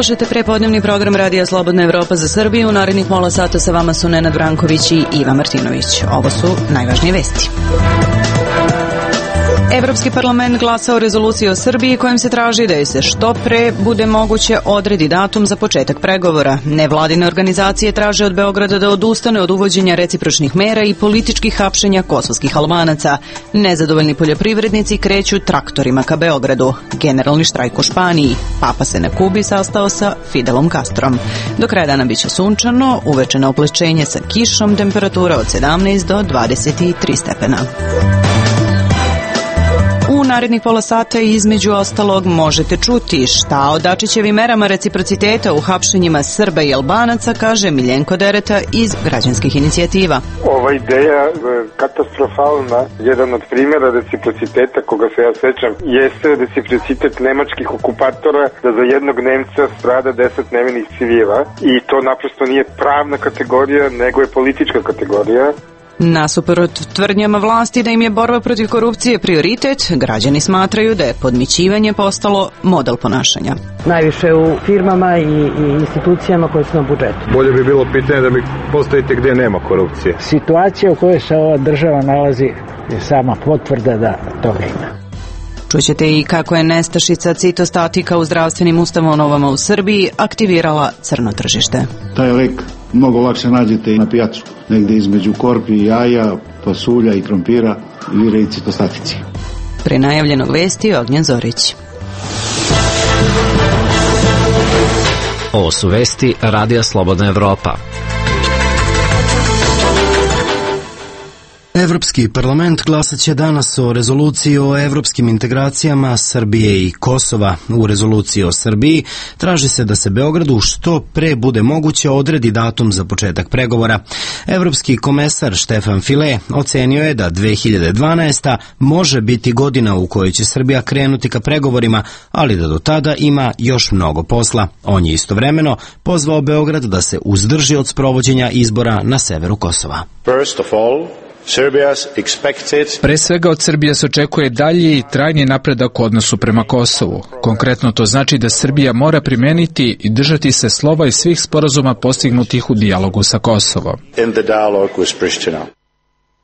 Slušajte prepodnevni program Radija Slobodna Evropa za Srbiju. U narednih pola sata sa vama su Nenad Branković i Iva Martinović. Ovo su najvažnije vesti. Evropski parlament glasa o rezoluciji o Srbiji kojom se traži da joj se što pre bude moguće odredi datum za početak pregovora. Nevladine organizacije traže od Beograda da odustane od uvođenja recipročnih mera i političkih hapšenja kosovskih Albanaca. Nezadovoljni poljoprivrednici kreću traktorima ka Beogradu. Generalni štrajk u Španiji. Papa se na Kubi sastao sa Fidelom Castrom. Do kraja dana biće sunčano, uveče na oplećenje sa kišom, temperatura od 17 do 23 stepena. U narednih pola sata između ostalog možete čuti šta o Dačićevim merama reciprociteta u hapšenjima Srba i Albanaca kaže Miljenko Dereta iz građanskih inicijativa. Ova ideja katastrofalna. Jedan od primjera reciprociteta koga se ja sećam jeste reciprocitet nemačkih okupatora da za jednog Nemca strada 10 nevinih civila i to naprosto nije pravna kategorija nego je politička kategorija. Nasuprot tvrdnjama vlasti da im je borba protiv korupcije prioritet, građani smatraju da je podmićivanje postalo model ponašanja. Najviše u firmama i institucijama koje su na budžetu. Bolje bi bilo pitanje da mi postavite gdje nema korupcije. Situacija u kojoj se ova država nalazi je sama potvrda da toga ima. Čućete i kako je nestašica citostatika u zdravstvenim ustanovama u Srbiji aktivirala crno tržište. Taj lek mnogo lakše nađete i na pijacu, negdje između korpi i jaja, pasulja i krompira vire i citostatici. Pre najavljenog vesti Ognjen Zorić. Ovo su vesti Radija Slobodna Evropa. Evropski parlament glasat će danas o rezoluciji o evropskim integracijama Srbije i Kosova. U rezoluciji o Srbiji traži se da se Beogradu što pre bude moguće odredi datum za početak pregovora. Evropski komesar Štefan File ocenio je da 2012. može biti godina u kojoj će Srbija krenuti ka pregovorima, ali da do tada ima još mnogo posla. On je istovremeno pozvao Beograd da se uzdrži od sprovođenja izbora na severu Kosova. Pre svega od Srbije se očekuje dalji i trajni napredak u odnosu prema Kosovu. Konkretno to znači da Srbija mora primeniti i držati se slova i svih sporazuma postignutih u dijalogu sa Kosovom.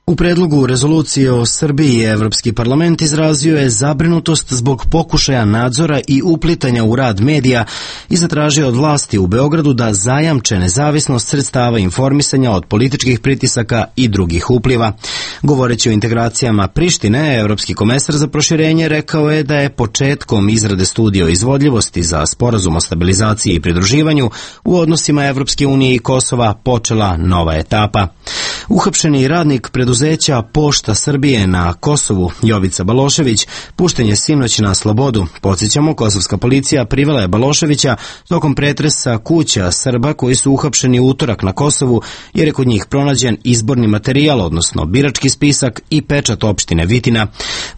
U predlogu rezolucije o Srbiji Evropski parlament izrazio je zabrinutost zbog pokušaja nadzora i uplitanja u rad medija i zatražio od vlasti u Beogradu da zajamče nezavisnost sredstava informisanja od političkih pritisaka i drugih upliva. Govoreći o integracijama Prištine, Evropski komesar za proširenje rekao je da je početkom izrade studije o izvodljivosti za sporazum o stabilizaciji i pridruživanju u odnosima Evropske unije i Kosova počela nova etapa. Uhapšeni radnik preduzeća Pošta Srbije na Kosovu, Jovica Balošević, pušten je sinoć na slobodu. Podsjećamo, kosovska policija privela je Baloševića tokom pretresa kuća Srba koji su uhapšeni u utorak na Kosovu, jer je kod njih pronađen izborni materijal, odnosno birački spisak i pečat opštine Vitina.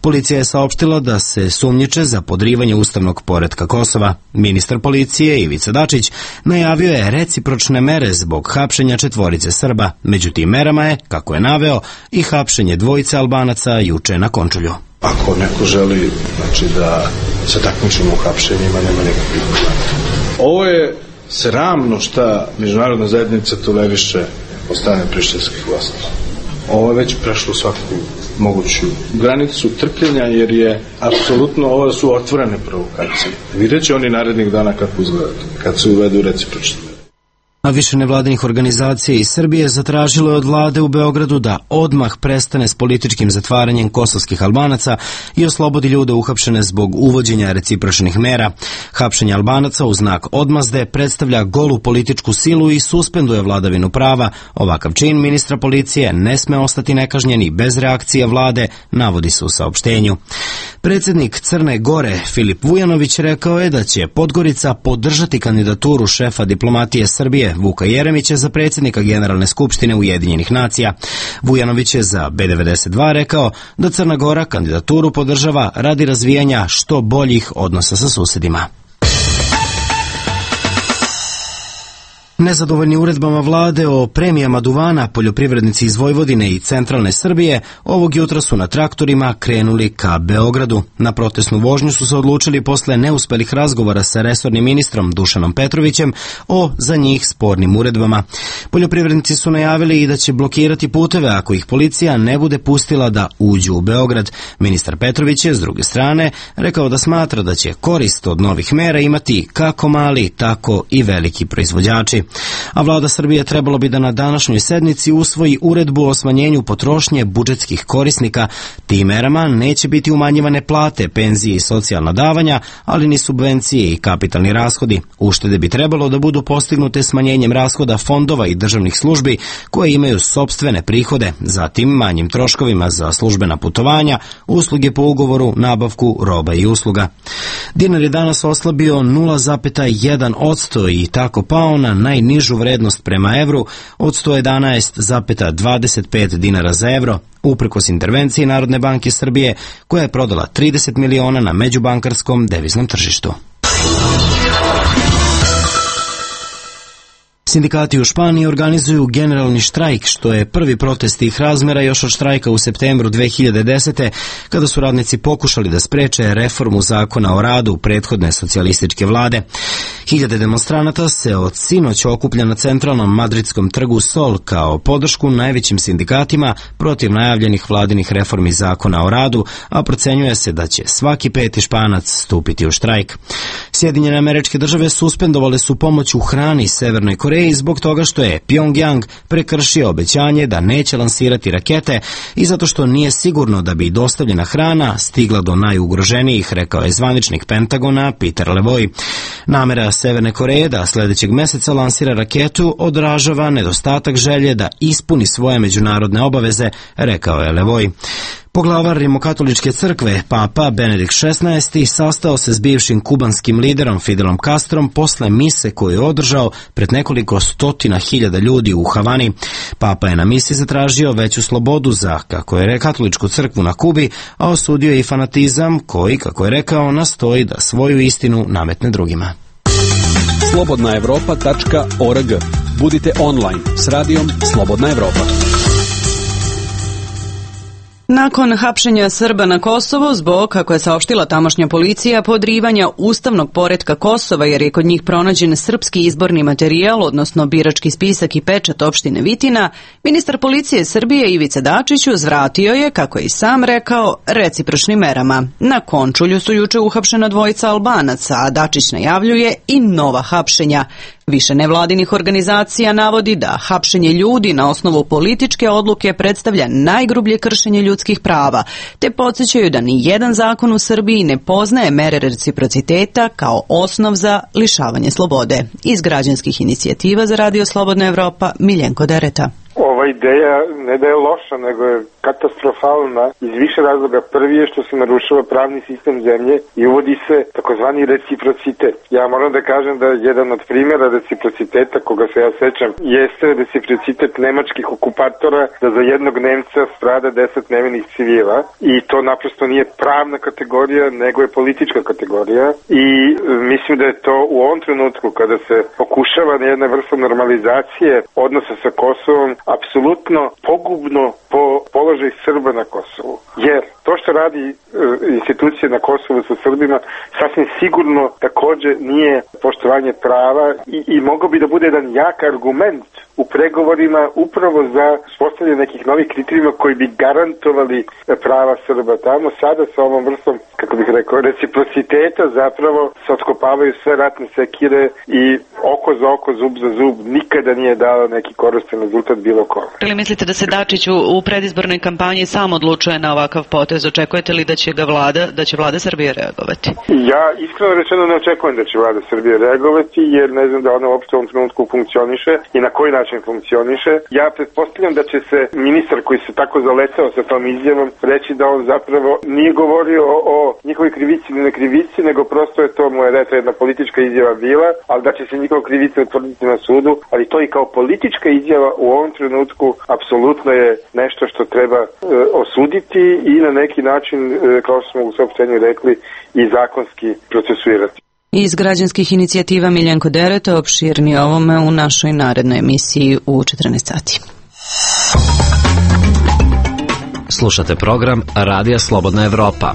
Policija je saopštila da se sumnjiče za podrivanje ustavnog poretka Kosova. Ministar policije Ivica Dačić najavio je recipročne mere zbog hapšenja 4 Srba. Među tim merama je, kako je naveo, i hapšenje 2 Albanaca juče na Končulju. Ako neko želi da se takmičimo u hapšenjima, nema nikakvih problema. Ovo je sramno šta međunarodna zajednica toleriše od strane prištinskih vlasti. Ovo je već prešlo svaku moguću granicu trpljenja, jer je apsolutno, ovo su otvorene provokacije. Vidjet će oni narednih dana kako izgledati, kad se uvedu recipročne. A više nevladinih organizacija iz Srbije zatražilo je od vlade u Beogradu da odmah prestane s političkim zatvaranjem kosovskih Albanaca i oslobodi ljude uhapšene zbog uvođenja recipročnih mera. Hapšenje Albanaca u znak odmazde predstavlja golu političku silu i suspenduje vladavinu prava. Ovakav čin ministra policije ne sme ostati nekažnjen i bez reakcije vlade, navodi se u saopštenju. Predsjednik Crne Gore Filip Vujanović rekao je da će Podgorica podržati kandidaturu šefa diplomatije Srbije Vuka Jeremića za predsjednika Generalne skupštine Ujedinjenih nacija. Vujanović je za B92 rekao da Crna Gora kandidaturu podržava radi razvijanja što boljih odnosa sa susedima. Nezadovoljni uredbama vlade o premijama duvana, poljoprivrednici iz Vojvodine i centralne Srbije ovog jutra su na traktorima krenuli ka Beogradu. Na protestnu vožnju su se odlučili posle neuspelih razgovora sa resornim ministrom Dušanom Petrovićem o za njih spornim uredbama. Poljoprivrednici su najavili i da će blokirati puteve ako ih policija ne bude pustila da uđu u Beograd. Ministar Petrović je, s druge strane, rekao da smatra da će korist od novih mera imati kako mali, tako i veliki proizvođači. A vlada Srbije trebalo bi da na današnjoj sednici usvoji uredbu o smanjenju potrošnje budžetskih korisnika. Tim merama neće biti umanjivane plate, penzije i socijalna davanja, ali ni subvencije i kapitalni rashodi. Uštede bi trebalo da budu postignute smanjenjem rashoda fondova i državnih službi koje imaju sopstvene prihode, zatim manjim troškovima za službena putovanja, usluge po ugovoru, nabavku roba i usluga. Dinar je danas oslabio 0,1% i tako pao na najnižu vrednost prema evru od 111,25 dinara za evro, uprkos intervenciji Narodne banke Srbije koja je prodala 30 miliona na međubankarskom deviznom tržištu. Sindikati u Španiji organizuju generalni štrajk, što je prvi protest tih razmera još od štrajka u septembru 2010. kada su radnici pokušali da spreče reformu zakona o radu prethodne socijalističke vlade. Hiljade demonstranata se od sinoć okuplja na centralnom madridskom trgu Sol kao podršku najvećim sindikatima protiv najavljenih vladinih reformi zakona o radu, a procenjuje se da će svaki peti Španac stupiti u štrajk. Sjedinjene Američke Države suspendovale su pomoć u hrani Severnoj Koreji zbog toga što je Pyongyang prekršio obećanje da neće lansirati rakete i zato što nije sigurno da bi dostavljena hrana stigla do najugroženijih, rekao je zvaničnik Pentagona Peter Levoj. Namera Severne Koreje da sljedećeg meseca lansira raketu odražava nedostatak želje da ispuni svoje međunarodne obaveze, rekao je Levoj. Poglavar Rimokatoličke crkve, Papa Benedikt XVI, sastao se s bivšim kubanskim liderom Fidelom Castrom posle mise koju je održao pred nekoliko stotina hiljada ljudi u Havani. Papa je na misi zatražio veću slobodu za, kako je katoličku crkvu na Kubi, a osudio je i fanatizam koji, kako je rekao, nastoji da svoju istinu nametne drugima. slobodnaevropa.org. Budite online s radijom Slobodna Evropa. Nakon hapšenja Srba na Kosovo zbog, kako je saopštila tamošnja policija, podrivanja ustavnog poretka Kosova jer je kod njih pronađen srpski izborni materijal, odnosno birački spisak i pečat opštine Vitina, ministar policije Srbije Ivica Dačić uzvratio je, kako je i sam rekao, recipročnim merama. Na Končulju su juče uhapšena dvojica Albanaca, a Dačić najavljuje i nova hapšenja. Više nevladinih organizacija navodi da hapšenje ljudi na osnovu političke odluke predstavlja najgrublje kršenje ljudskih prava, te podsjećaju da ni jedan zakon u Srbiji ne poznaje mere reciprociteta kao osnov za lišavanje slobode. Iz građanskih inicijativa za Radio Slobodna Evropa, Miljenko Dereta. Ova ideja ne da je loša, nego je katastrofalna iz više razloga. Prvi je što se narušava pravni sistem zemlje i uvodi se takozvani reciprocitet. Ja moram da kažem da jedan od primjera reciprociteta, koga se ja sećam, jeste reciprocitet nemačkih okupatora, da za jednog Nemca strada 10 nevinih civila, i to naprosto nije pravna kategorija, nego je politička kategorija, i mislim da je to u ovom trenutku kada se pokušava na jedna vrsta normalizacije odnosa sa Kosovom apsolutno pogubno po položaj Srba na Kosovu. Jer to što radi institucije na Kosovu sa Srbima sasvim sigurno takođe nije poštovanje prava i mogao bi da bude jedan jak argument u pregovorima upravo za uspostavljanje nekih novih kriterijuma koji bi garantovali prava Srba tamo. Sada sa ovom vrstom, kako bih rekao, reciprociteta zapravo se otkopavaju sve ratne sekire i oko za oko, zub za zub nikada nije dao neki koristan rezultat bilo kome. Ili mislite da se Dačić u predizbornoj kampanji sam odlučuje na ovakav potez? Očekujete li da će vlada Srbije reagovati? Ja iskreno rečeno ne očekujem da će vlada Srbije reagovati, jer ne znam da ona uopšte u ovom trenutku funkcioniše i na koji način funkcioniše. Ja pretpostavljam da će se ministar koji se tako zaletao sa tom izjavom reći da on zapravo nije govorio o njihovoj krivici ili nekrivici, nego prosto je to mu je jedna politička izjava bila, ali da će se njihova krivica utvrditi na sudu, ali to i kao politička izjava u ovom trenutku apsolutno je nešto što treba osuditi i na neki način, kao što smo u saopštenju rekli, i zakonski procesuirati. Iz građanskih inicijativa Miljenko Dereta, opširnije ovome u našoj narednoj emisiji u 14 sati. Slušate program Radija Slobodna Evropa.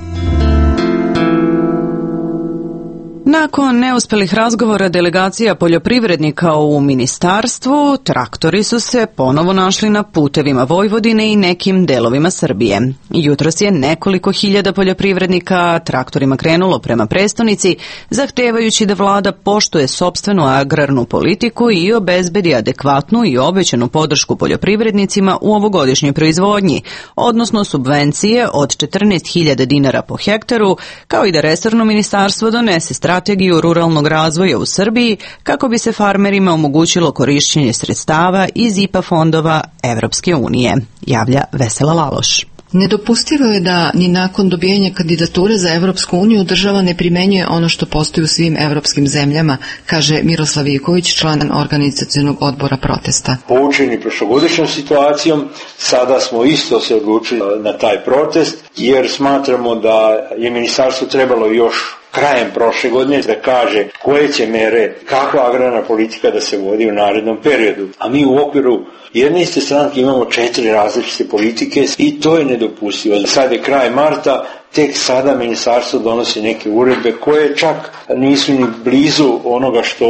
Nakon neuspelih razgovora delegacija poljoprivrednika u ministarstvu, traktori su se ponovo našli na putevima Vojvodine i nekim delovima Srbije. Jutros je nekoliko hiljada poljoprivrednika traktorima krenulo prema prestonici, zahtevajući da vlada poštuje sopstvenu agrarnu politiku i obezbedi adekvatnu i obećanu podršku poljoprivrednicima u ovogodišnjoj proizvodnji, odnosno subvencije od 14.000 dinara po hektaru, kao i da resorno ministarstvo donese strategiju ruralnog razvoja u Srbiji kako bi se farmerima omogućilo korišćenje sredstava iz IPA fondova Evropske unije, javlja Vesela Laloš. Nedopustivo je da ni nakon dobijanja kandidature za Evropsku uniju država ne primenjuje ono što postoji u svim evropskim zemljama, kaže Miroslav Ivković, član organizacionog odbora protesta. Poučeni prošlogodišnjom situacijom, sada smo isto se odlučili na taj protest, jer smatramo da je ministarstvo trebalo još krajem prošle godine da kaže koje će mere, kakva agrarna politika da se vodi u narednom periodu. A mi u okviru jedne iste stranke imamo 4 različite politike i to je nedopustivo. Sad je kraj marta, tek sada ministarstvo donosi neke uredbe koje čak nisu ni blizu onoga što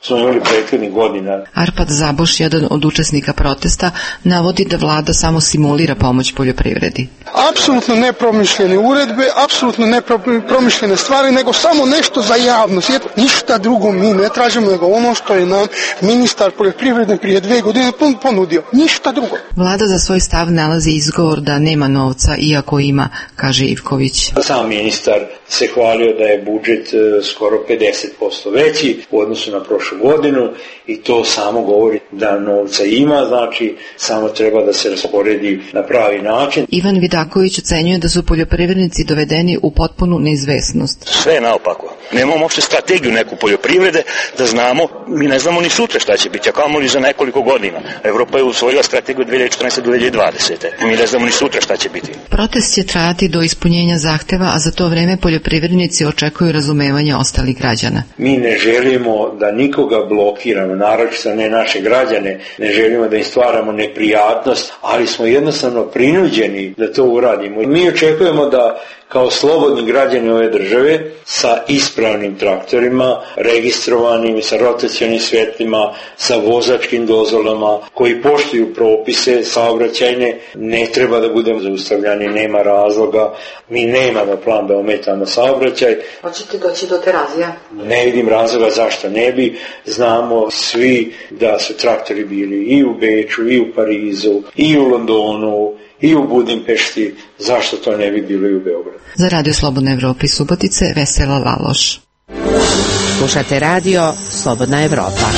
smo imali prethodnih godina. Arpad Zaboš, jedan od učesnika protesta, navodi da vlada samo simulira pomoć poljoprivredi. Apsolutno nepromišljene uredbe, apsolutno nepromišljene stvari, nego samo nešto za javnost. Ništa drugo mi ne tražimo nego ono što je nam ministar poljoprivrede prije 2 godine ponudio. Ništa drugo. Vlada za svoj stav nalazi izgovor da nema novca, iako ima, kaže Ivković. Sam ministar se hvalio da je budžet skoro 50% veći u odnosu na prošlu godinu i to samo govori da novca ima, znači samo treba da se rasporedi na pravi način. Ivan Vidaković ocenjuje da su poljoprivrednici dovedeni u potpunu neizvesnost. Sve je naopako. Nemamo uopšte strategiju neku poljoprivrede da znamo, mi ne znamo ni sutra šta će biti, a kamoli za nekoliko godina. Evropa je usvojila strategiju 2014-2020. Mi ne znamo ni sutra šta će biti. Protest će trajati do ispunjenja zahteva, a za to vreme poljoprivrednici očekuju razumevanje ostalih građana. Mi ne želimo da nikoga blokiramo, naročito ne naše građane, ne želimo da im stvaramo neprijatnost, ali smo jednostavno prinuđeni da to uradimo. Mi očekujemo da kao slobodni građani ove države sa ispravnim traktorima, registrovanim, sa rotacionim svetlima, sa vozačkim dozvolama, koji poštuju propise saobraćajne, ne treba da budemo zaustavljani, nema razloga. Mi nemamo plan da ometamo saobraćaj. Hoćete doći do Terazija? Ne vidim razloga zašto ne bi. Znamo svi da su traktori bili i u Beču, i u Parizu, i u Londonu, i u Budimpešti, zašto to ne bi bilo i u Beogradu. Za Radio Slobodna Evropa iz Subotice, Vesela Laloš. Slušate Radio Slobodna Evropa.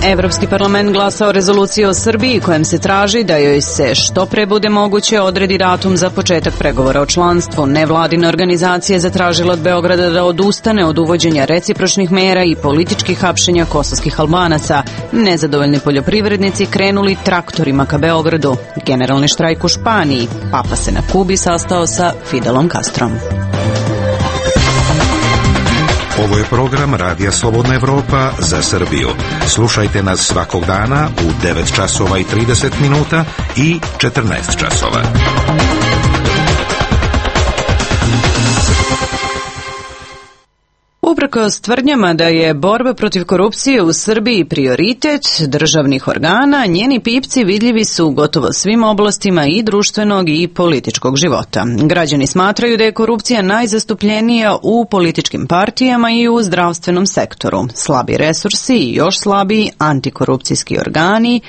Evropski parlament glasa o rezoluciji o Srbiji kojem se traži da joj se što pre bude moguće odredi datum za početak pregovora o članstvu. Nevladine organizacije zatražile od Beograda da odustane od uvođenja recipročnih mera i političkih hapšenja kosovskih Albanaca. Nezadovoljni poljoprivrednici krenuli traktorima ka Beogradu. Generalni štrajk u Španiji. Papa se na Kubi sastao sa Fidelom Castrom. Ovo je program Radija Slobodna Evropa za Srbiju. Slušajte nas svakog dana u 9 časova i 30 minuta i 14 časova. Uprkos tvrdnjama da je borba protiv korupcije u Srbiji prioritet državnih organa, njeni pipci vidljivi su u gotovo svim oblastima i društvenog i političkog života. Građani smatraju da je korupcija najzastupljenija u političkim partijama i u zdravstvenom sektoru. Slabi resursi i još slabiji antikorupcijski organi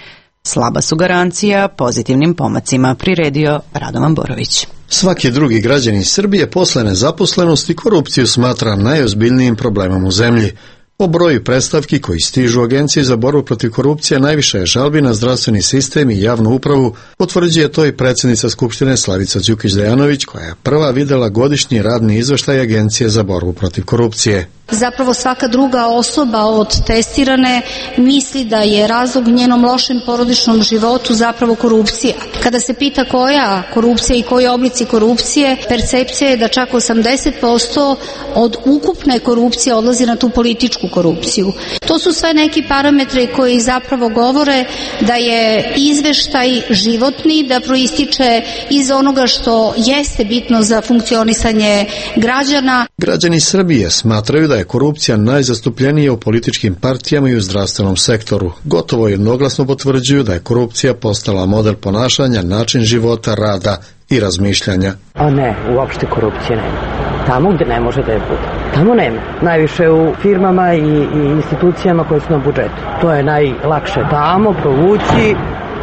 slaba su garancija pozitivnim pomacima, priredio Radovan Borović. Svaki drugi građanin Srbije posle nezaposlenosti korupciju smatra najozbiljnijim problemom u zemlji. Po broju predstavki koji stižu u Agenciji za borbu protiv korupcije najviše je žalbi na zdravstveni sistem i javnu upravu, potvrđuje to i predsjednica Skupštine Slavica Đukić Dejanović, koja je prva videla godišnji radni izveštaj Agencije za borbu protiv korupcije. Zapravo svaka druga osoba od testirane misli da je razlog njenom lošem porodičnom životu zapravo korupcija. Kada se pita koja korupcija i koji oblici korupcije, percepcija je da čak 80% od ukupne korupcije odlazi na tu političku korupciju. To su sve neki parametri koji zapravo govore da je izveštaj životni, da proističe iz onoga što jeste bitno za funkcionisanje građana. Građani Srbije smatraju da je korupcija najzastupljenija u političkim partijama i u zdravstvenom sektoru. Gotovo jednoglasno potvrđuju da je korupcija postala model ponašanja, način života, rada i razmišljanja. A ne, uopšte korupcije nema. Tamo gde ne može da je bude. Tamo nema. Najviše u firmama i institucijama koje su na budžetu. To je najlakše tamo provući.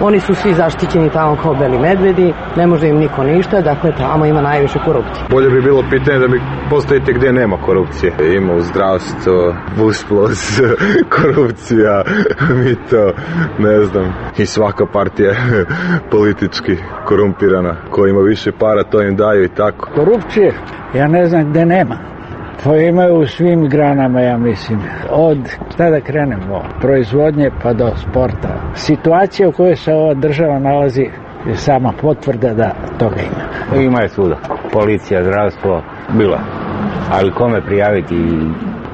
Oni su svi zaštićeni tamo kao beli medvedi, ne može im niko ništa, dakle tamo ima najviše korupcije. Bolje bi bilo pitanje da mi postavite gdje nema korupcije. Ima u zdravstvu, usplos, korupcija, mito, ne znam. I svaka partija je politički korumpirana. Ko ima više para, to im daju i tako. Korupcije, ja ne znam gdje nema. To imaju u svim granama, ja mislim. Od, šta da krenemo, proizvodnje pa do sporta. Situacija u kojoj se ova država nalazi je sama potvrda da toga ima. Ima je svuda. Policija, zdravstvo, bilo. Ali kome prijaviti?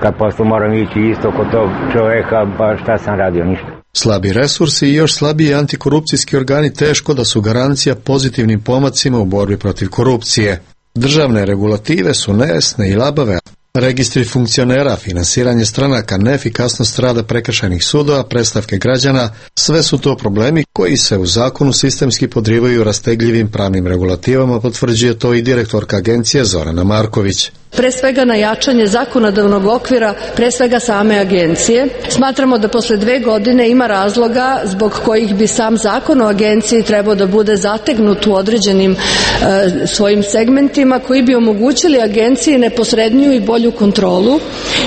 Kad posle moram ići isto kod tog čoveka, pa šta sam radio, ništa. Slabi resursi i još slabiji antikorupcijski organi teško da su garancija pozitivnim pomacima u borbi protiv korupcije. Državne regulative su nejasne i labave. Registri funkcionera, finansiranje stranaka, neefikasnost rada prekršajnih sudova, predstavke građana, sve su to problemi koji se u zakonu sistemski podrivaju rastegljivim pravnim regulativama, potvrđuje to i direktorka agencije Zorana Marković. Pre svega na jačanje zakonodavnog okvira, pre svega same agencije. Smatramo da posle 2 godine ima razloga zbog kojih bi sam zakon o agenciji trebao da bude zategnut u određenim svojim segmentima koji bi omogućili agenciji neposredniju i bolju kontrolu,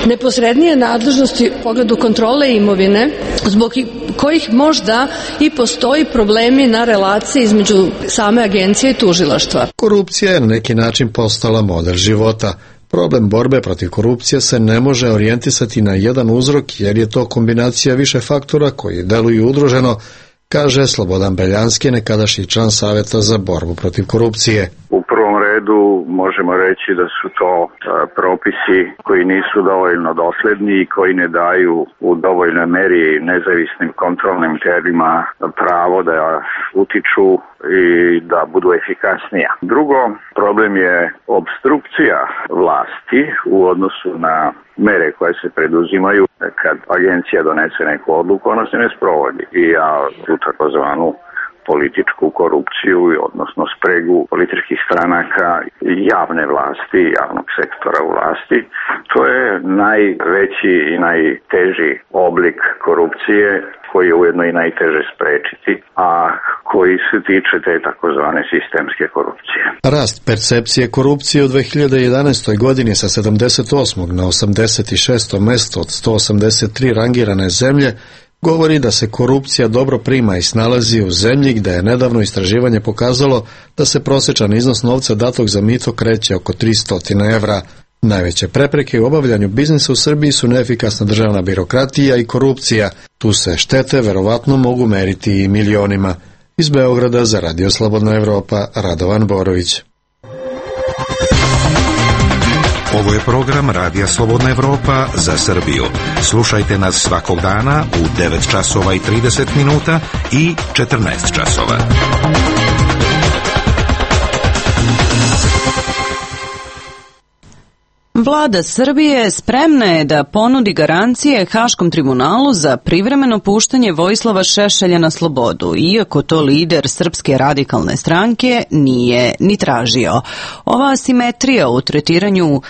neposrednije nadležnosti u pogledu kontrole imovine, zbog kojih možda i postoji problemi na relaciji između same agencije i tužilaštva. Korupcija je na neki način postala model života. Problem borbe protiv korupcije se ne može orijentisati na jedan uzrok jer je to kombinacija više faktora koji deluju udruženo, kaže Slobodan Beljanski, nekadašnji član Saveta za borbu protiv korupcije. U prvom redu možemo reći da su to propisi koji nisu dovoljno dosledni i koji ne daju u dovoljnoj meri nezavisnim kontrolnim tijelima pravo da utiču i da budu efikasnija. Drugo, problem je obstrukcija vlasti u odnosu na mere koje se preduzimaju. Kad agencija donese neku odluku, ona se ne sprovodi i ja tu takozvanu političku korupciju, odnosno spregu političkih stranaka, javne vlasti, javnog sektora u vlasti. To je najveći i najteži oblik korupcije koji je ujedno i najteže sprečiti, a koji se tiče te takozvane sistemske korupcije. Rast percepcije korupcije u 2011. godini sa 78. na 86. mesto od 183 rangirane zemlje govori da se korupcija dobro prima i snalazi u zemlji gde je nedavno istraživanje pokazalo da se prosječan iznos novca datog za mito kreće oko 300 evra. Najveće prepreke u obavljanju biznisa u Srbiji su neefikasna državna birokratija i korupcija. Tu se štete verovatno mogu meriti i milionima. Iz Beograda za Radio Slobodna Evropa, Radovan Borović. Ovo je program Radija Slobodna Evropa za Srbiju. Slušajte nas svakog dana u 9 časova i 30 minuta i 14 časova. Vlada Srbije spremna je da ponudi garancije Haškom tribunalu za privremeno puštanje Vojislava Šešelja na slobodu, iako to lider Srpske radikalne stranke nije ni tražio. Ova asimetrija u tretiranju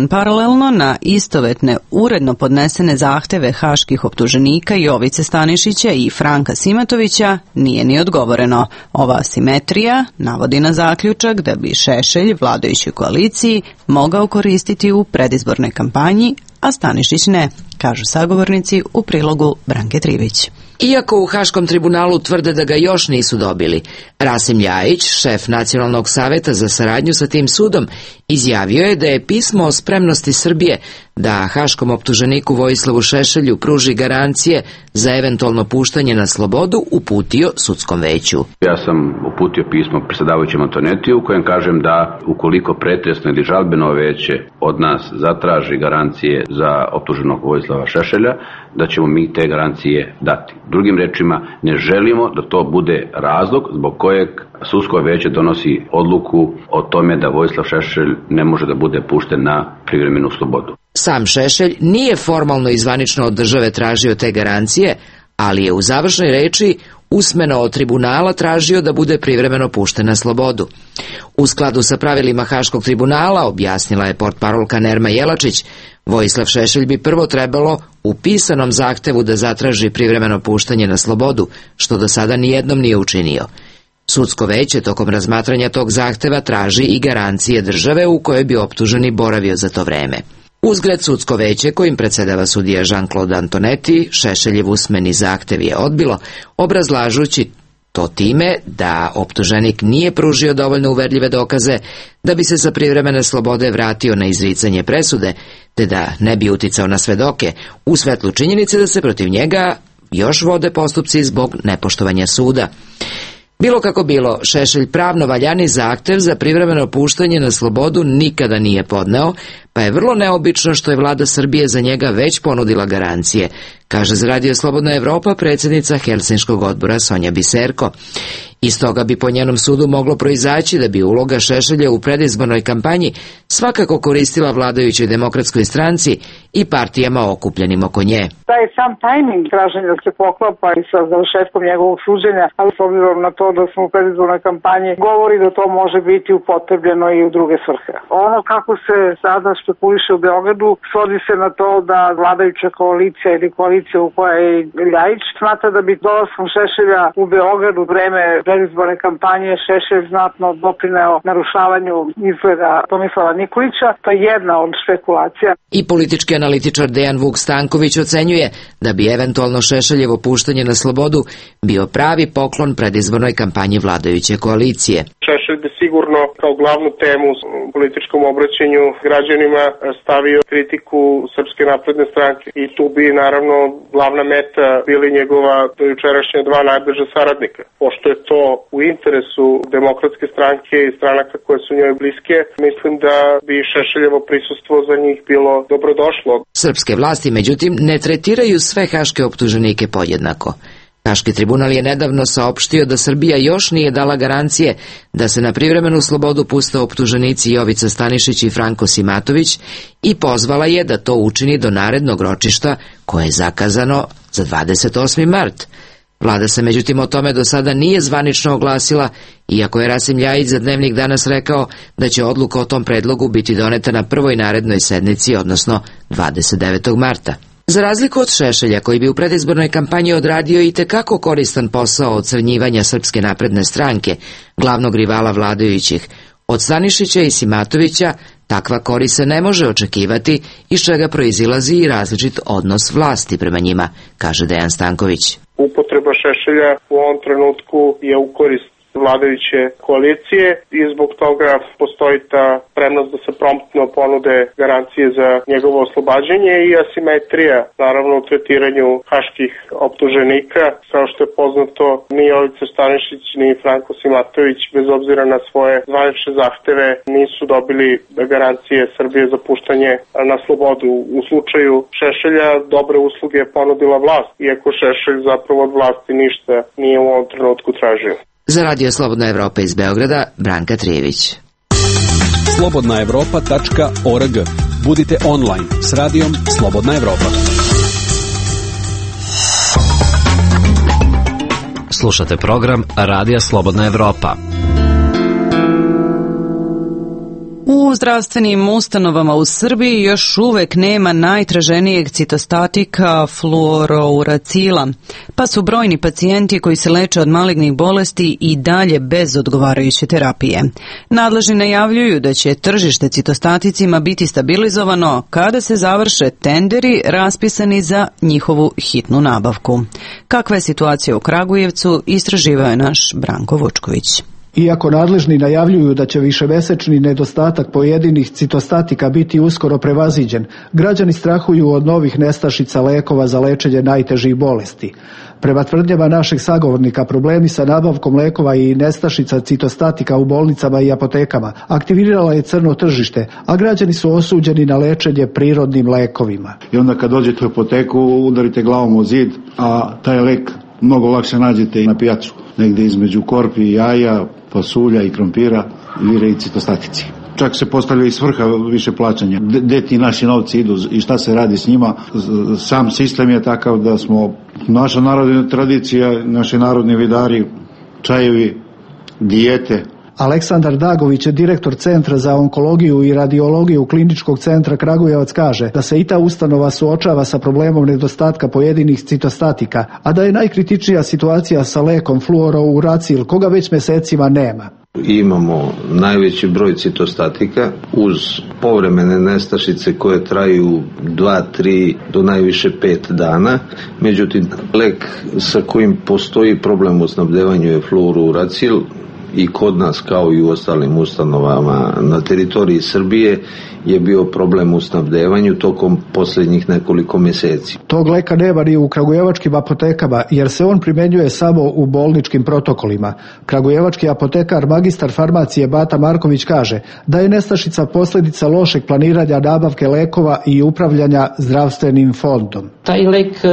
paralelno na istovetne uredno podnesene zahteve haških optuženika Jovice Stanišića i Franka Simatovića nije ni odgovoreno. Ova asimetrija navodi na zaključak da bi Šešelj vladajućoj koaliciji mogao koristiti u predizbornoj kampanji, a Stanišić ne, kažu sagovornici u prilogu Branke Trivić. Iako u Haškom tribunalu tvrde da ga još nisu dobili, Rasim Ljajić, šef Nacionalnog saveta za saradnju sa tim sudom, izjavio je da je pismo o spremnosti Srbije da haškom optuženiku Vojislavu Šešelju pruži garancije za eventualno puštanje na slobodu uputio sudskom veću. Ja sam uputio pismo predsjedavajućem Antonetiju u kojem kažem da ukoliko pretresno ili žalbeno veće od nas zatraži garancije za optuženog Vojislava Šešelja, da ćemo mi te garancije dati. Drugim rečima, ne želimo da to bude razlog zbog kojeg sudsko veće donosi odluku o tome da Vojislav Šešelj ne može da bude pušten na privremenu slobodu. Sam Šešelj nije formalno i zvanično od države tražio te garancije, ali je u završnoj reči usmeno od tribunala tražio da bude privremeno pušten na slobodu. U skladu sa pravilima Haškog tribunala, objasnila je portparolka Nerma Jelačić, Vojislav Šešelj bi prvo trebalo u pisanom zahtevu da zatraži privremeno puštanje na slobodu, što do sada nijednom nije učinio. Sudsko veće tokom razmatranja tog zahteva traži i garancije države u kojoj bi optuženi boravio za to vreme. Uzgred sudsko veće kojim predsjedava sudija Jean-Claude Antonetti, Šešeljev usmeni zahtev je odbilo, obrazlažući to time da optuženik nije pružio dovoljno uverljive dokaze da bi se sa privremene slobode vratio na izricanje presude, te da ne bi uticao na svedoke, u svetlu činjenice da se protiv njega još vode postupci zbog nepoštovanja suda. Bilo kako bilo, Šešelj pravno valjani zahtev za privremeno puštanje na slobodu nikada nije podneo, pa je vrlo neobično što je vlada Srbije za njega već ponudila garancije, kaže za Radio Slobodna Evropa predsjednica Helsinškog odbora Sonja Biserko. Iz toga bi po njenom sudu moglo proizaći da bi uloga Šešelja u predizbornoj kampanji svakako koristila vladajućoj demokratskoj stranci i partijama okupljenim oko nje. Taj sam tajming traženja se poklapa i sa završetkom njegovog suđenja, ali s obzirom na to da smo u predizbornoj kampanji, govori da to može biti upotrebljeno i u druge svrhe. Ono kako se sada špekuliše u Beogradu svodi se na to da vladajuća koalicija ili koalicija u kojoj je Ljajić smatra da bi dolaskom Šešelja u Beogradu vreme predizborne kampanje Šešelj znatno doprineo narušavanju izgleda Tomislava Nikolića. To je jedna od špekulacija. I politički analitičar Dejan Vuk Stanković ocenjuje da bi eventualno Šešeljevo puštanje na slobodu bio pravi poklon predizbornoj kampanji vladajuće koalicije. Šešelj bi sigurno kao glavnu temu u političkom obraćanju građanima stavio kritiku Srpske napredne stranke i tu bi naravno glavna meta bili njegova dojučerašnja dva najbliža saradnika. Pošto je to u interesu demokratske stranke i stranaka koje su njoj bliske, mislim da bi Šešeljevo prisustvo za njih bilo dobrodošlo. Srpske vlasti, međutim, ne tretiraju sve haške optuženike podjednako. Haški tribunal je nedavno saopštio da Srbija još nije dala garancije da se na privremenu slobodu puste optuženici Jovica Stanišić i Franko Simatović i pozvala je da to učini do narednog ročišta koje je zakazano za 28. mart. Vlada se međutim o tome do sada nije zvanično oglasila, iako je Rasim Ljajić za Dnevnik danas rekao da će odluka o tom predlogu biti doneta na prvoj narednoj sednici, odnosno 29. marta. Za razliku od Šešelja, koji bi u predizbornoj kampanji odradio i tekako koristan posao ocrnjivanja Srpske napredne stranke, glavnog rivala vladajućih, od Stanišića i Simatovića takva korist se ne može očekivati, iz čega proizilazi i različit odnos vlasti prema njima, kaže Dejan Stanković. Upotreba Šešelja u ovom trenutku je u korist vladajuće koalicije i zbog toga postoji ta spremnost da se promptno ponude garancije za njegovo oslobađanje i asimetrija, naravno u tretiranju haških optuženika. Kao što je poznato, ni Jovica Stanišić ni Franko Simatović, bez obzira na svoje zvanične zahteve, nisu dobili garancije Srbije za puštanje na slobodu. U slučaju Šešelja dobre usluge je ponudila vlast, iako Šešelj zapravo od vlasti ništa nije u ovom trenutku tražio. Za Radio Slobodna Evropa iz Beograda, Branka Trijević. slobodnaevropa.org. Budite online s radijom Slobodna Evropa. Slušate program Radija Slobodna Evropa. U U zdravstvenim ustanovama u Srbiji još uvek nema najtraženijeg citostatika fluorouracila, pa su brojni pacijenti koji se leče od malignih bolesti i dalje bez odgovarajuće terapije. Nadležni najavljuju da će tržište citostaticima biti stabilizovano kada se završe tenderi raspisani za njihovu hitnu nabavku. Kakva je situacija u Kragujevcu, istraživao je naš Branko Vučković. Iako nadležni najavljuju da će višemesečni nedostatak pojedinih citostatika biti uskoro prevaziđen, građani strahuju od novih nestašica lekova za lečenje najtežih bolesti. Prema tvrdnjama našeg sagovornika, problemi sa nabavkom lekova i nestašica citostatika u bolnicama i apotekama aktivirala je crno tržište, a građani su osuđeni na lečenje prirodnim lekovima. I onda kad dođete u apoteku udarite glavom u zid, a taj lek mnogo lakše nađete i na pijacu. Negdje između korpi i jaja, pasulja i krompira vire i citostatici. Čak se postavlja i svrha više plaćanja. Gde ti naši novci idu i šta se radi s njima? Sam sistem je takav da smo naša narodna tradicija, naši narodni vidari, čajevi, dijete. Aleksandar Dagović, direktor Centra za onkologiju i radiologiju Kliničkog centra Kragujevac, kaže da se i ta ustanova suočava sa problemom nedostatka pojedinih citostatika, a da je najkritičnija situacija sa lekom fluorouracil, koga već mesecima nema. Imamo najveći broj citostatika uz povremene nestašice koje traju 2, 3 do najviše 5 dana. Međutim, lek sa kojim postoji problem u snabdevanju je fluorouracil i kod nas kao i u ostalim ustanovama na teritoriji Srbije je bio problem u snabdevanju tokom posljednjih nekoliko mjeseci. Tog leka nema ni u kragujevačkim apotekama jer se on primjenjuje samo u bolničkim protokolima. Kragujevački apotekar magistar farmacije Bata Marković kaže da je nestašica posljedica lošeg planiranja nabavke lekova i upravljanja zdravstvenim fondom. Taj lek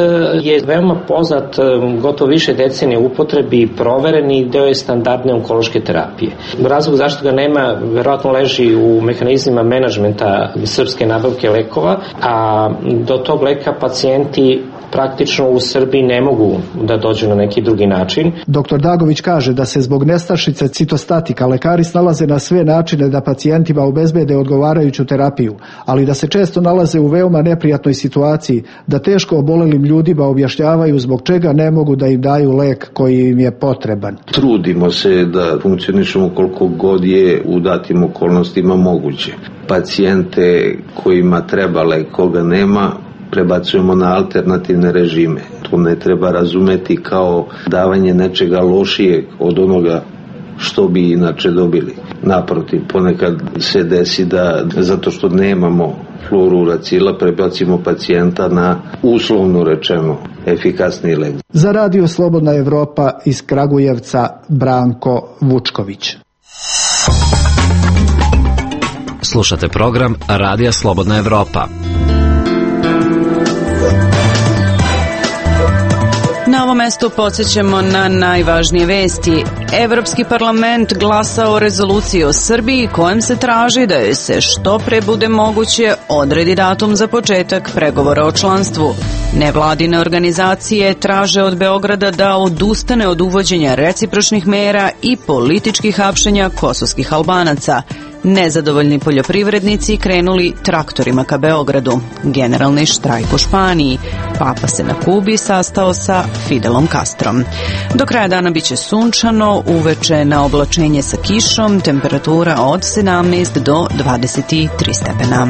je veoma poznat, gotovo više decenije u upotrebi, provereni deo je standardne onkološke terapije. Razlog zašto ga nema verovatno leži u mehanizmima menadžmenta srpske nabavke lekova, a do tog leka pacijenti praktično u Srbiji ne mogu da dođu na neki drugi način. Dr. Dagović kaže da se zbog nestašice citostatika lekari snalaze na sve načine da pacijentima obezbede odgovarajuću terapiju, ali da se često nalaze u veoma neprijatnoj situaciji, da teško obolelim ljudima objašnjavaju zbog čega ne mogu da im daju lek koji im je potreban. Trudimo se da funkcionišemo koliko god je u datim okolnostima moguće. Pacijente kojima treba lek, koga nema, prebacujemo na alternativne režime. To ne treba razumeti kao davanje nečega lošijeg od onoga što bi inače dobili. Naprotiv, ponekad se desi da zato što nemamo fluorouracila prebacimo pacijenta na uslovno rečeno efikasni lek. Za Radio Slobodna Evropa iz Kragujevca Branko Vučković. Slušate program Radija Slobodna Evropa. Na ovom mestu podsjećamo na najvažnije vesti. Evropski parlament glasa o rezoluciji o Srbiji kojom se traži da joj se što pre bude moguće odredi datum za početak pregovora o članstvu. Nevladine organizacije traže od Beograda da odustane od uvođenja recipročnih mera i političkih hapšenja kosovskih Albanaca. Nezadovoljni poljoprivrednici krenuli traktorima ka Beogradu. Generalni štrajk u Španiji. Papa se na Kubi sastao sa Fidelom Castrom. Do kraja dana biće sunčano, uveče na oblačenje sa kišom, temperatura od 17 do 23 stepena.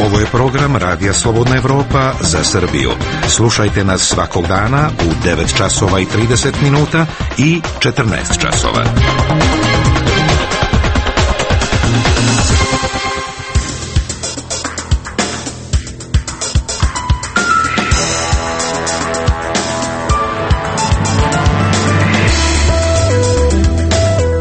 Ovo je program Radija Slobodna Evropa za Srbiju. Slušajte nas svakog dana u 9 časova i 30 minuta i 14 časova.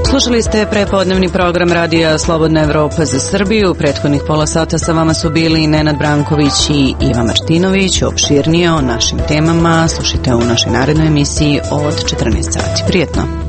Slušali ste prepodnevni program Radija Slobodna Evropa za Srbiju. U prethodnih pola sata sa vama su bili Nenad Branković i Iva Martinović. Opširnije o našim temama slušajte u našoj narednoj emisiji od 14 sati. Prijetno!